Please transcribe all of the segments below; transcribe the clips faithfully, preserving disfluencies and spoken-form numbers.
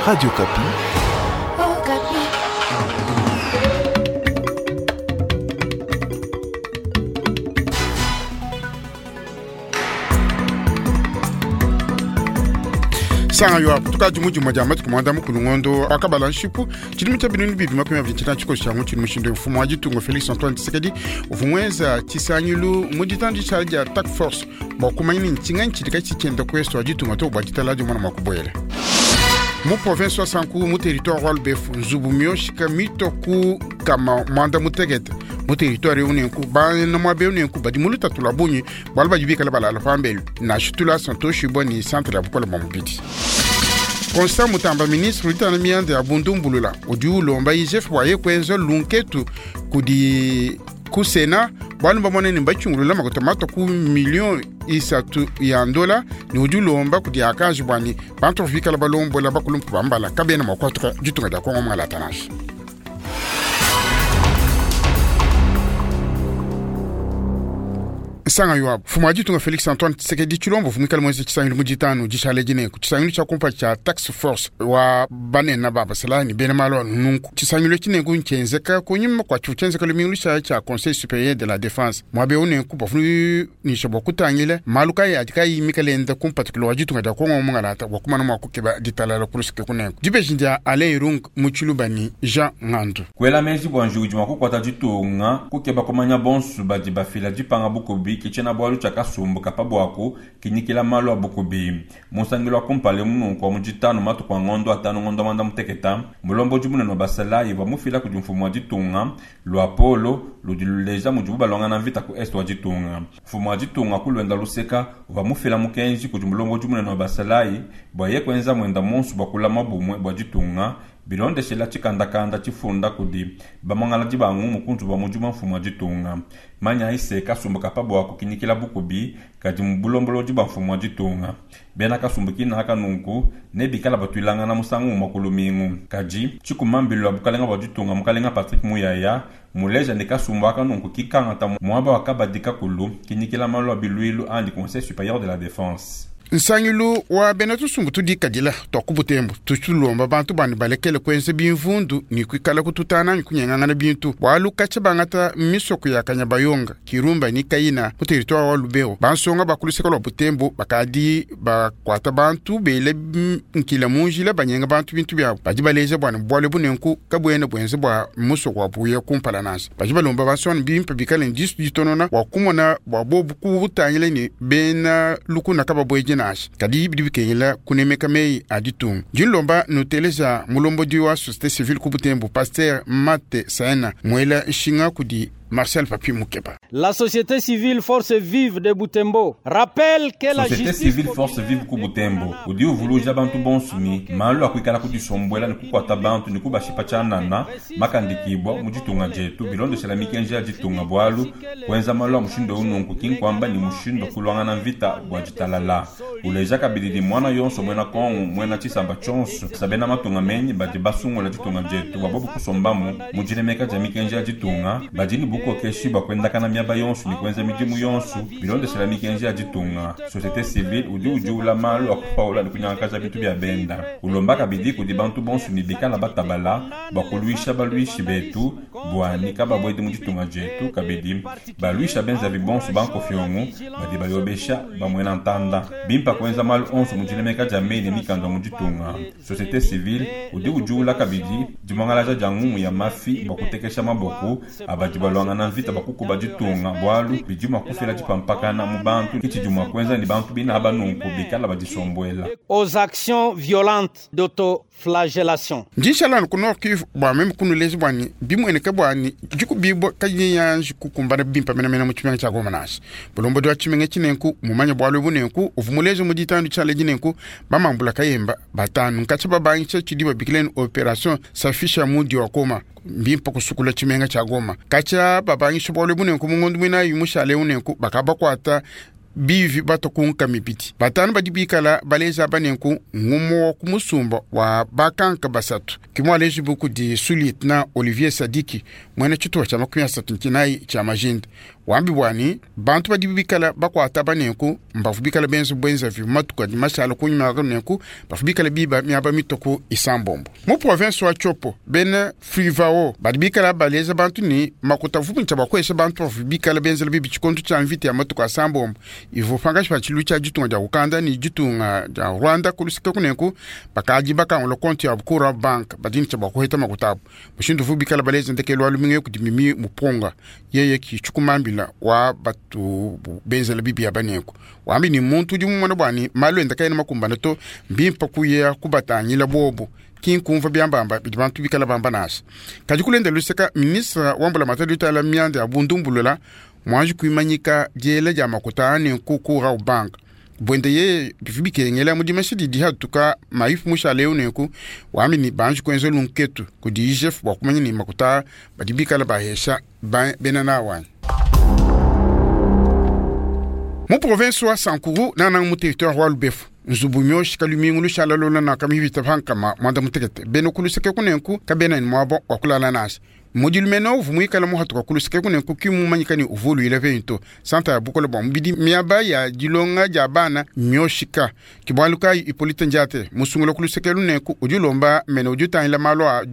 Radio Okapi. Okapi. Sanga yo tukadi mujimwa dia matuku mwanda mukulu ngondo akabala nshipu tshilimi tshia binunu bibi makumi abidi tshina tshikosi tshia ngutshili mushindu mfumu wa ditunga Felix Antoine Tshisekedi uvumweza tshisangilu mu ditanda ditshala dia task force bua kumanya ni ntshinga ntshidi tshitshienda kuesto wa ditunga to bua ditala dia mwana mua kubuela mu province wa Sankuru mu territoire wa Lubefu nzubu mioshika mitoku kama mwanda mutekete mu territoire eu nenku bana muaba eu nenku badi mu lutatu lua bungi bualu badi bikala balala pambelu nashitula santoshi bua ni centre ya bukole bua mubidi. Constant Mutamba ministre utana mianda ya bundumbulula udi ulomba I G F bua ye kuenza lunketu kudi ku Sena bualu mbamone ne mbachungulula makuta mato ku million isatu ya ndola ne udi ulomba kudi akaji bua ni bantu bikala balombola bakulumpu bambala kabena mua kuatuka ditunga dia Kongo mwalata nansha. Sanga yo mfumu wa ditunga Felix Antoine Tshisekedi Tshilombo vumikala mwezi tshisangilu mu ditanu dishale dinenku tshisangilu tshia kumpa tshia task force wa banene ba basala ni bena malu anu nunku tshisangilu tshinenku ntshienzeka kunyima kua tshivu tshienzeka lumingu tsha tshia Conseil supérieur de la défense muaba eu nenku bafunisha bua kutangila malu kayi adi kayi mikala enda kumpatikilo wa ditunga dia Kongo mungalata bua kumana mua kukeba ditalala kulusike kunenku dibeji dia Alain Irung mu Tshiluba ni Jean Ngandu. Kuela meji bua njiwu idi mua kukuata ditunga kukeba kumanya bonso badi bafila dipanga bukubi kichena bwalu tshia kasumbu kapa bwaku kinyikila malu a bukubi musangilo akumpale mununku wa mujitanu matuku a ngondo atanu ngondo mwanda muteketa mulombodi munene wa basalayi bua mufila kudi mfumu wa ditunga lua polo ludi luleja mudibu balongana mvita ku est wa ditunga. Mfumu wa ditunga kulwenda luseka uva mufila mukenji kudi mulombodi munene wa basalayi bua ye kuenza mwenda monso bua kulama bumwe bua ditunga bilondeshela tshikandakanda tshifunda kudi bamwangala dibangu mukunzu bua mudimu wa mfumu wa ditunga. Manya ise kasumbu kapa bua kukinyikila bukubi kadi mu bulombolodi bua mfumu wa ditunga. Bena kasumbu kina haka nunku ne bikala batuilangana musangu umue ku lumingu. Kadi tshikumambilu wa bukalenga bua ditunga mukalenga Patrick Muyaya muleja ne kasumbu aka nunku kikangata muaba wa kabadi kakulu kinyikila malu a biluilu andi Conseil supérieur de la défense. Nsangilu wa bena tusumbu tudikadila twa ku Butembo tutulomba bantu bani balekele kuenza bimvundu ni kuikala kututana ni kunyeng'ang'ana bintu bualu katshia bangata misoko ya Kanyabayonga Kirumba ni Kayina mu territoire wa Lubero bansonga bakuluseka lwa Butembo bakadi bakuata bantu bele nkila munjila banyenga bantu bintu byabo badi baleja bwana bualu bunenku kabuena buenze bua musoko wa buya kumpala nansha badi balomba bansonga bimpe bikale ndisu ditonona bua kumona bua bobu kubutangila ni bena lukuna kababweje nansha kadi bidi bikengela kunemeka meyi a ditunga. Dilomba nuteleza mulombodi wa société civile ku Butembo Pasteur Mate Saena mwela nshinga kudi Marcel Papi Mukeba. La société civile Force Vive de Butembo rappelle que la société justice civile Force Vive ku Butembo udi uvuluja bantu bonsumi malu akuikala kudisombwela ni kukwata bantu ni kubashipa tshanana makandikibwa mu ditunga dietu bilondeshela mikenji ya ditunga bualu kuenza malu a mushindo ununku kinkwamba ni mushindo kulwangana mvita bua ditalala uleja kabidi ni mwana yonso mwena Kongo mwena tshisamba tshonso sabena matunga menyi badi basungula ditunga dietu bua bobu kusombamu mu dinemeka dia mikenji ya ditunga badi ni bukokeshi bua kuendakana miaba yonso ni kuenza midimu yonso bilondeshela mikenji ya ditunga. Société civile udi udiula malu a kupaula ni kunyangakaja bintu bia benda ulomba kabidi kudi bantu bonso ni bikala batabala bua kuluisha baluishi betu bua ni kababwedi mu ditunga dietu kabidi baluisha benzavi bonso bankofiongo badi bayobesha bamwena ntanda bimpa kuenza malu onso mu dinemeka dia mei ne mikanda mu ditunga. Société civile udi udiula kabidi dimwangalaja dia ngumu ya mafi bua kutekesha maboko abadi balwangana mvita bakukuba ditunga bualu bidi mua kufila dipampakana mu bantu kitshidi mua kuenza ni bantu bina banunku bikala badisombuela. Aux actions violentes d'autoflagellation. Ndishalani ku Nord Kivu bua meme kunulezi bua ni bimueneka bua ni dikubibua kayiyanji kukumbana bimpa menamena mu tshimenga tshia Goma nansha. Bulombodi wa tshimenga tshinenku mumanye bualu bunenku uvumulezi mu ditandu tshia ledi nenku bamambula kayemba batanu nkatshia babangisha tshidi babikileni opération safisha mudi wa Goma mbimpa kusukula tshimenga tshia Goma katshia babangisha bualu bunenku mungondu muinayi mushale unenku bakabakuata bivi batokunka mibidi batanu badi bikala baleza banenku ngumu wa kumusumba wa bakanka basatu kimwaleji buku di sous-lieutenant Olivier Sadiki mwene tshituwa tshia makumi asatu ntinayi tshia majinda Wambi bwani bantu badi bikala bakwata banenku mbavu bikala benza bwenza vi matuku adi mashala kunyuma nenku bavu bikala biba miaba mitoko isambombo mu province wa Tshopo bena Frivao badi bikala baleza bantu ni makuta vupu ncha bakwesha bantu bavu bikala benzela bibi tshikonto tshia mvita ya matuku asambombo ivo pangashi pa tshilu tshia ditunga dia Uganda ni ditunga dia Rwanda kulusika kunenku bakadi bakangula konti ya Bukura Bank badini tshia bakuheta makuta abu mushindu vu bikala baleza ndekelo wa lumingu kudi mimi muponga yeye ki chukumambila wa batu benzela bibi ya banenku wambi ni muntu udi mumona bwani malu enda kaena makumbana to mbimpa kuya kubatangila bobo kinkumva byambamba bidi bantu bikala bamba nasa kadi kulenda luseka ministre wambula matadi utala myanda ya bundumbulula mwanji kuimanyika diela dia makuta ane nkukura ubanka bwende ye bivi bikengela mudimashi didi hatuka maifu mushale eu nenku wambi ni banji kuenza lunketu kudi I G F bua kumanya ni makuta badi bikala bahesha bena nawanyi. Mu province wa Sankuru nana mu territoire wa Lubefu nzubu myoshi kalumingu lushala lola na kamivita pankama mwanda mutekete beno kuluseke kunenku kabena ni mwabo wa kulala nasi mudilumeno uvumuikala muhatuka kuluseke kunenku kimumanyika ni uvulu ile vento santa ya bukola bwa mubidi miaba ya dilonga dia bana myoshika kibwaluka Ipolite Njate musungula kuluseke lunenku udilomba mene udutangila malo a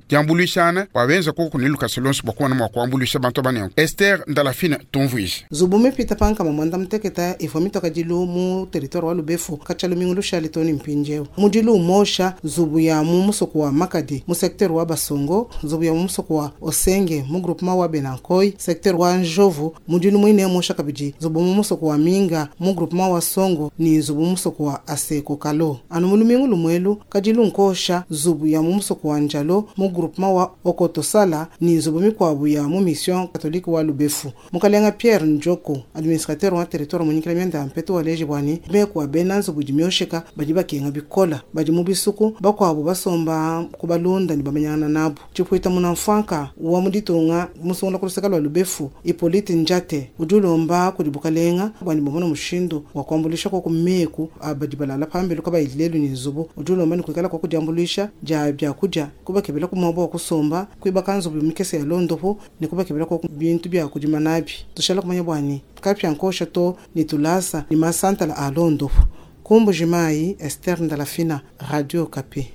diambuluishana wabenza koko niluka lonso bwa kuwana mwa kuambulisha bantu banenku Esther Ndalafina tumvuisha zubu mipita pankama mwanda muteketa ifo mitoka dilu mu territoire wa Lubefu kacha lumingu lushali toni mpinjeo mudilu umosha zubu ya mu musoko wa Makadi mu secteur wa Basongo zubu ya mu musoko wa Osenge mu groupement wa Benankoi secteur wa Njovu mudilu mwine mosha kabidi zubu mu musoko wa Minga mu groupement wa Songo ni zubu musoko wa Aseko Kalo anu mulumingu lumwelu kadilu nkosha zubu ya mu musoko wa Njalo mu groupement wa Okotosala ni zubu mikwabu ya mu mission catholique wa Lubefu mukalenga Pierre Njoko administrateur wa territoire munyikila myanda mpeto wa leje bwani mekwa bena nzubu dimyosheka badi bakenga bikola badi mu bisuku bakwabo basomba kubalunda ni bamanyana nabo chipwita munamfanka wa muditunga musungula kuluseka lwa Lubefu Ipolite Njate udulomba kudi bukalenga bwani bomona mushindu wa kuambulisha kwa kumeku abadi balala pambelu kabayilelu ni nzubu udulomba ni kuikala kwa kudiambulisha ja byakuja kubakebela kumwabo wa kusomba kuibaka nzubu mikese ya londopo ni kubakebela kwa bintu bya kudima nabi tushala kumanya bwani kapya nkosha to ni tulasa ni masantala a londopo Kumbu Jimai, Esther Ndalafina, Radio Okapi.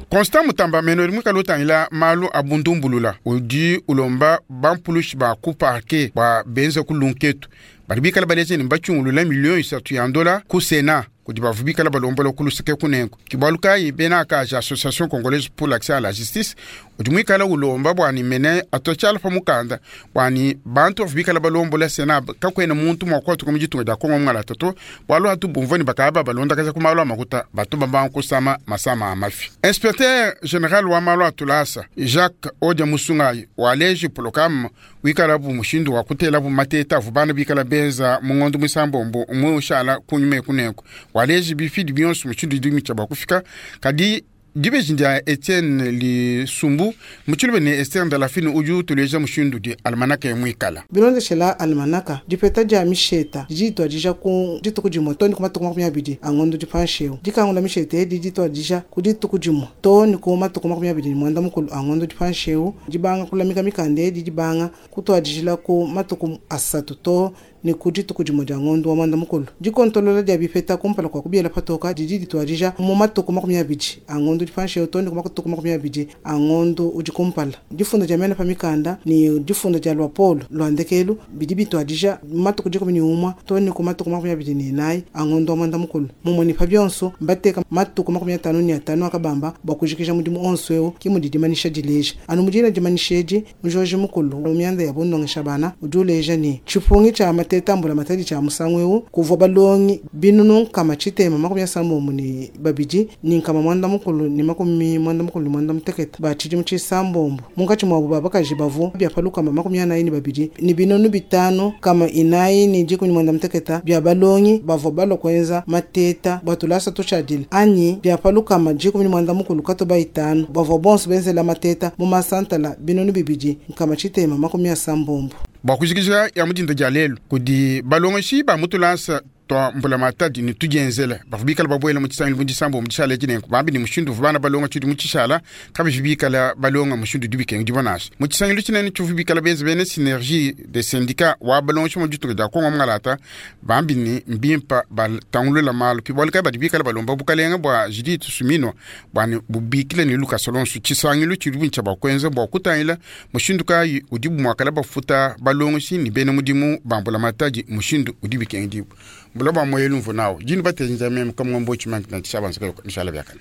Constant Mutamba meno mwikalo tangila malu abundumbulula udi ulomba bampulushi ba ku parquet ba benza ku lunketu bali bikala baleze ni bachungulula million isatu ya ndola ku Sénat kudi bavu bikala balombola kuluseke kunenku kibaluka bena akaja Association congolaise pour l'accès à la justice udi mwikala ulomba bwani mene atochala pa mukanda bwani bantu bavu bikala balombola Sénat kakwena muntu mwakwatu mujitunga dia Kongo mwala toto bwalu atu bumvoni bakaba balonda kaza kumalo makuta batu bamba kusama masama amafi. Inspecteur général wa malo atulasa Jacques Odia Musungai waleji polokam wikala bu mushindu wa kutela bu mateta vubana bikala benza mungondo musambombo umwe ushala kunyume kunenku waleji bifidi bionso mushindu dimi cha bakufika kadi dibeji Etienne Lisumbu muchilube ne Esther Ndalafini uju tuleja mushindu di almanaka mwikala bilondeshela almanaka dipeta dia misheta dijitwa dija ku dituku dimue to ni ku matuku makumi abidi angondo dipansheu dikangula misheta edi ditwa dija ku dituku dimue to ni ku matuku makumi abidi ni mwanda mukulu angondo dipansheu dibanga kulamika mikanda edi dibanga kutwa dijila ku matuku asatu to ni ku dituku dimue dia ngondo wa mwanda mukulu dikontolola dia bipeta kumpala kwa kubiela patoka didi ditwa dija mu matuku makumi abidi angondo dipansheu to ni ku matuku makumi abidi angondo udi kumpala difunda dia mena pa mikanda ni difunda dia lwapolo lwandekelu bidi bitwa dija matuku dikumi ni umwa to ni ku matuku makumi abidi ni inayi angondo wa mwanda mukulu mumwe ni pa bionso mbateka matuku makumi atanu ni atanu akabamba bua kujikija mudimu onso eu kimudi dimanisha dileja anu mudina dimanisha edi mujoji mukulu mu mianda ya bundongesha bana udi uleja ni tshipungi tshia matetambula matadi tshia musangu eu kuvua balongi binunu nkama tshitema makumi asambombo ni babidi ni nkama mwanda mukulu ni makumi mwanda mukulu ni mwanda mutekete ba tshidimu tshisambombo munkatshi muabu babakaji bavu bia palukama makumi anayi ni babidi ni binunu bitanu kama inayi ni dikumi ni mwanda muteketa bia balongi bavua balua kuenza mateta bua tulasa tutshiadila anyi bia palukama dikumi ni mwanda mukulu katoba itanu bavua bonso benzela mateta mu masantala binunu bibidi nkama tshitema makumi asambombo bua kujikija ya mudinda dia lelu kudi balongeshi ba mutulasa tua mbulamatadi ne tudienzela bavua bikala babuela mu tshisangilu mu disambo mu dishala edi nenku bambi ne mushindu uvua bana balonga tshidi mu tshishala kabivi bikala balonga mushindu udi bikengedibua nansha mu tshisangilu tshinene tshivu bikala benza bena synergie de syndicat wa balongeshi mu ditunga dia kongo mungalata bambi ne mbimpa batangulula malu bualu kayi badi bikala balomba bukalenga bua Judith Suminwa bua ne bubikile ne lukasa lonso tshisangilu tshidi bintshia bua kuenza bua kutangila mushindu kayi udi muakala bafuta balongeshi ne bena mudimu ba mbulamatadi mushindu udi bikengedibua mbula bua moyelu mvu nawo dinu batenza meme kamwambo tshimanta na tshishabanza mishala biakana.